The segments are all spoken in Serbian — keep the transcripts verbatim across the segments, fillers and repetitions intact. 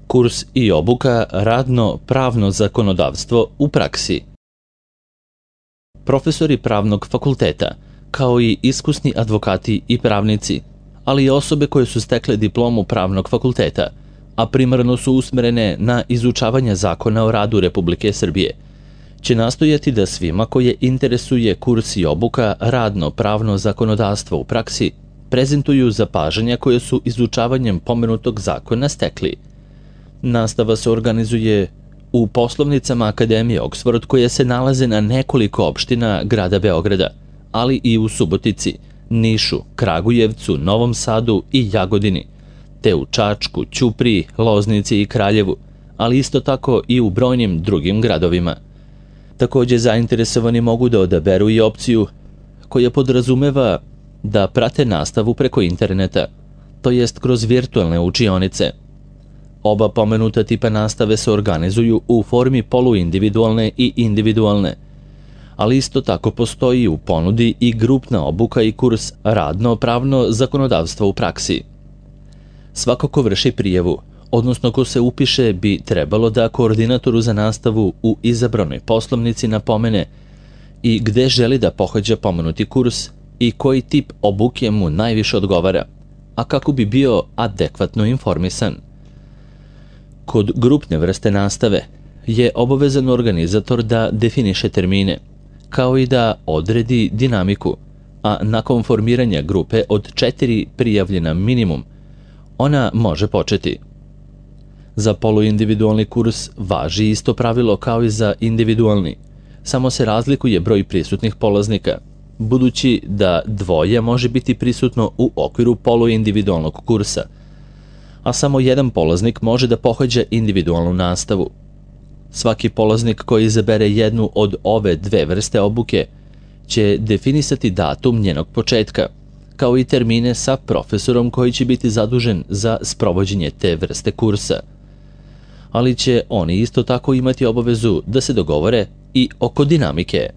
Kurs i obuka radno-pravno zakonodavstvo u praksi. Profesori pravnog fakulteta, kao i iskusni advokati i pravnici, ali i osobe koje su stekle diplomu pravnog fakulteta, a primarno su usmerene na izučavanje zakona o radu Republike Srbije, će nastojati da svima koje interesuje kurs i obuka radno-pravno zakonodavstvo u praksi prezentuju zapažanja koje su izučavanjem pomenutog zakona stekli. Nastava se organizuje u poslovnicama Akademije Oksford koje se nalaze na nekoliko opština grada Beograda, ali i u Subotici, Nišu, Kragujevcu, Novom Sadu i Jagodini, te u Čačku, Ćupriji, Loznici i Kraljevu, ali isto tako i u brojnim drugim gradovima. Takođe, zainteresovani mogu da odaberu i opciju koja podrazumeva da prate nastavu preko interneta, to jest kroz virtualne učionice. Oba pomenuta tipa nastave se organizuju u formi poluindividualne i individualne, ali isto tako postoji u ponudi i grupna obuka i kurs radno-pravno zakonodavstvo u praksi. Svako ko vrši prijavu, odnosno ko se upiše, bi trebalo da koordinatoru za nastavu u izabranoj poslovnici napomene i gde želi da pohađa pomenuti kurs i koji tip obuke mu najviše odgovara, a kako bi bio adekvatno informisan. Kod grupne vrste nastave je obavezan organizator da definiše termine, kao i da odredi dinamiku, a nakon formiranja grupe od četiri prijavljena minimum, ona može početi. Za poluindividualni kurs važi isto pravilo kao i za individualni, samo se razlikuje broj prisutnih polaznika, budući da dvoje može biti prisutno u okviru poluindividualnog kursa, a samo jedan polaznik može da pohađa individualnu nastavu. Svaki polaznik koji izabere jednu od ove dve vrste obuke će definisati datum njenog početka, kao i termine sa profesorom koji će biti zadužen za sprovođenje te vrste kursa. Ali će oni isto tako imati obavezu da se dogovore i oko dinamike.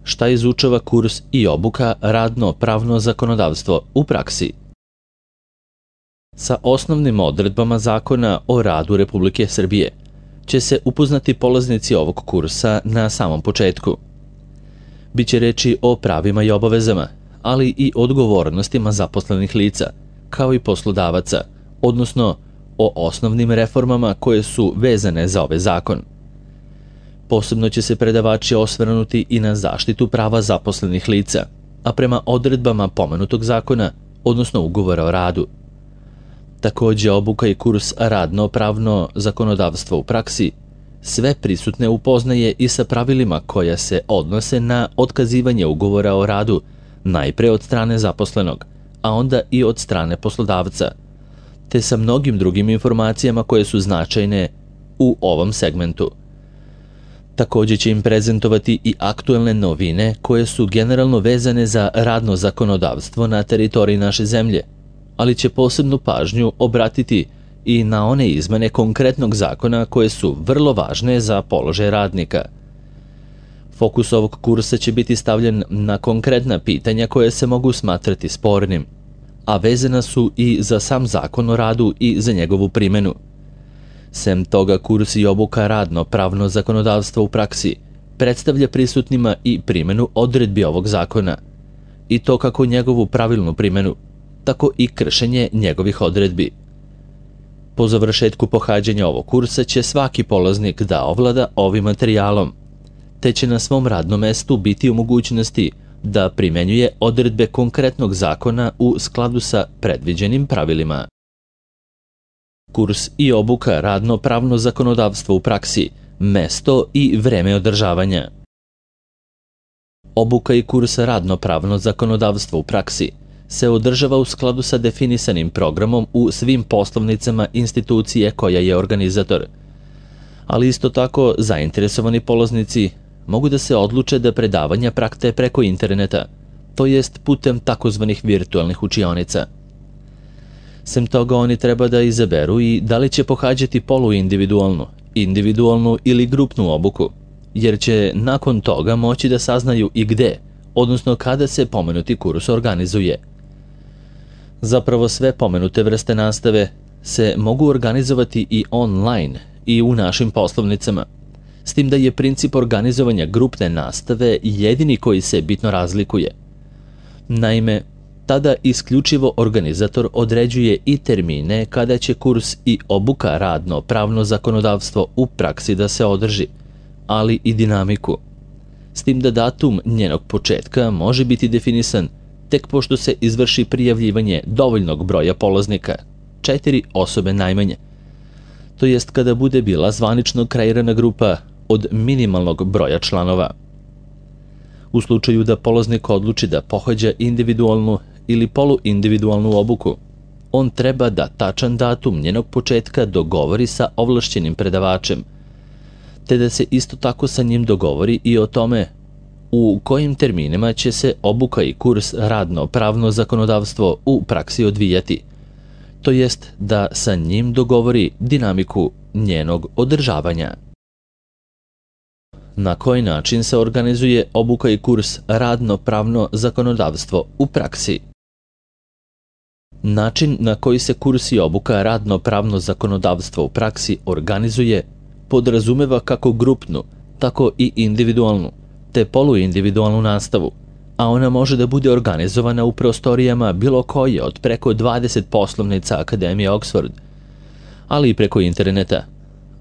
Šta izučava kurs i obuka radno-pravno zakonodavstvo u praksi? Sa osnovnim odredbama Zakona o radu Republike Srbije će se upoznati polaznici ovog kursa na samom početku. Biće reči o pravima i obavezama, ali i odgovornostima zaposlenih lica, kao i poslodavaca, odnosno o osnovnim reformama koje su vezane za ovaj zakon. Posebno će se predavači osvrnuti i na zaštitu prava zaposlenih lica, a prema odredbama pomenutog zakona, odnosno ugovora o radu. Takođe, obuka i kurs radno-pravno zakonodavstvo u praksi sve prisutne upoznaje i sa pravilima koja se odnose na otkazivanje ugovora o radu, najpre od strane zaposlenog, a onda i od strane poslodavca, te sa mnogim drugim informacijama koje su značajne u ovom segmentu. Takođe će im prezentovati i aktuelne novine koje su generalno vezane za radno zakonodavstvo na teritoriji naše zemlje, ali će posebnu pažnju obratiti i na one izmene konkretnog zakona koje su vrlo važne za položaj radnika. Fokus ovog kursa će biti stavljen na konkretna pitanja koje se mogu smatrati spornim, a vezana su i za sam zakon o radu i za njegovu primenu. Sem toga, kurs i obuka radno-pravno zakonodavstvo u praksi predstavlja prisutnima i primenu odredbi ovog zakona, i to kako njegovu pravilnu primenu, tako i kršenje njegovih odredbi. Po završetku pohađanja ovog kursa će svaki polaznik da ovlada ovim materijalom, te će na svom radnom mestu biti u mogućnosti da primenjuje odredbe konkretnog zakona u skladu sa predviđenim pravilima. Kurs i obuka radno-pravno zakonodavstvo u praksi, mesto i vreme održavanja. Obuka i kurs radno-pravno zakonodavstvo u praksi se održava u skladu sa definisanim programom u svim poslovnicama institucije koja je organizator, ali isto tako zainteresovani polaznici mogu da se odluče da predavanja prate preko interneta, to jest putem takozvanih virtualnih učionica. Sem toga, oni treba da izaberu i da li će pohađati poluindividualnu, individualnu ili grupnu obuku, jer će nakon toga moći da saznaju i gde, odnosno kada se pomenuti kurs organizuje. Zapravo sve pomenute vrste nastave se mogu organizovati i online i u našim poslovnicama, s tim da je princip organizovanja grupne nastave jedini koji se bitno razlikuje. Naime, tada isključivo organizator određuje i termine kada će kurs i obuka radno pravno zakonodavstvo u praksi da se održi, ali i dinamiku. S tim da datum njenog početka može biti definisan tek pošto se izvrši prijavljivanje dovoljnog broja polaznika, četiri osobe najmanje, to jest kada bude bila zvanično kreirana grupa od minimalnog broja članova. U slučaju da polaznik odluči da pohađa individualnu ili poluindividualnu obuku, on treba da tačan datum njenog početka dogovori sa ovlašćenim predavačem, te da se isto tako sa njim dogovori i o tome u kojim terminima će se obuka i kurs radno pravno zakonodavstvo u praksi odvijati, to jest da sa njim dogovori dinamiku njenog održavanja. Na koji način se organizuje obuka i kurs radno pravno zakonodavstvo u praksi? Način na koji se kurs i obuka radno pravno zakonodavstvo u praksi organizuje podrazumeva kako grupnu, tako i individualnu, te poluindividualnu nastavu, a ona može da bude organizovana u prostorijama bilo koje od preko dvadeset poslovnica Akademije Oxford, ali i preko interneta,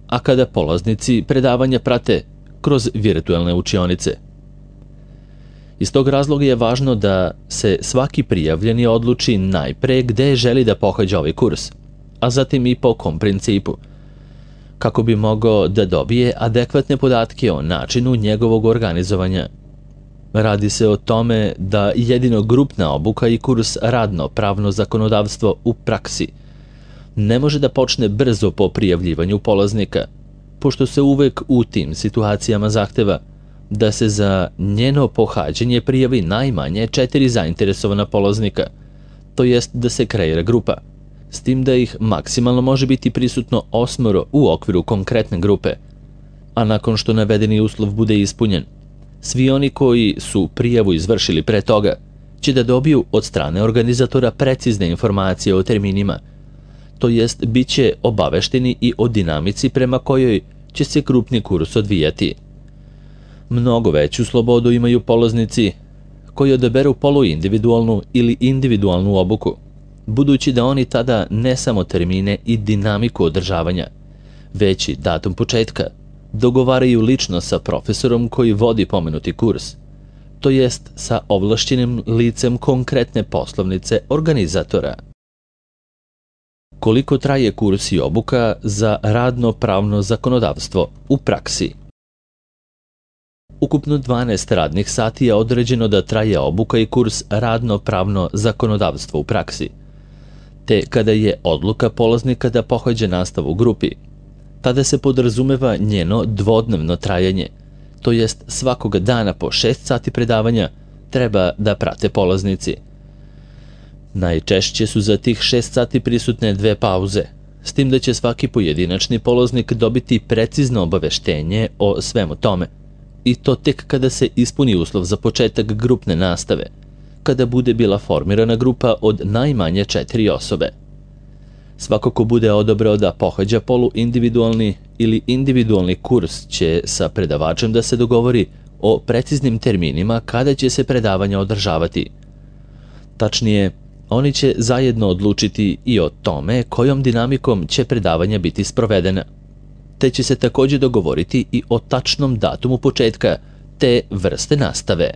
a kada polaznici predavanja prate kroz virtualne učionice. Iz tog razloga je važno da se svaki prijavljeni odluči najpre gde želi da pohađa ovaj kurs, a zatim i po kom principu, kako bi mogao da dobije adekvatne podatke o načinu njegovog organizovanja. Radi se o tome da jedino grupna obuka i kurs radno pravno zakonodavstvo u praksi ne može da počne brzo po prijavljivanju polaznika, pošto se uvek u tim situacijama zahteva da se za njeno pohađanje prijavi najmanje četiri zainteresovana polaznika, to jest da se kreira grupa, s tim da ih maksimalno može biti prisutno osmoro u okviru konkretne grupe, a nakon što navedeni uslov bude ispunjen, svi oni koji su prijavu izvršili pre toga će da dobiju od strane organizatora precizne informacije o terminima, to jest bit će obavešteni i o dinamici prema kojoj će se grupni kurs odvijati. Mnogo veću slobodu imaju polaznici koji odaberu poluindividualnu ili individualnu obuku, budući da oni tada ne samo termine i dinamiku održavanja, već i datum početka dogovaraju lično sa profesorom koji vodi pomenuti kurs, to jest sa ovlašćenim licem konkretne poslovnice organizatora. Koliko traje kurs i obuka za radno pravno zakonodavstvo u praksi? Ukupno dvanaest radnih sati je određeno da traje obuka i kurs radno pravno zakonodavstvo u praksi, te kada je odluka polaznika da pohađa nastavu u grupi, tada se podrazumeva njeno dvodnevno trajanje, to jest svakoga dana po šest sati predavanja treba da prate polaznici. Najčešće su za tih šest sati prisutne dve pauze, s tim da će svaki pojedinačni polaznik dobiti precizno obaveštenje o svemu tome, i to tek kada se ispuni uslov za početak grupne nastave, kada bude bila formirana grupa od najmanje četiri osobe. Svako ko bude odabrao da pohađa poluindividualni ili individualni kurs će sa predavačem da se dogovori o preciznim terminima kada će se predavanja održavati. Tačnije, oni će zajedno odlučiti i o tome kojom dinamikom će predavanja biti sprovedena, te će se također dogovoriti i o tačnom datumu početka te vrste nastave.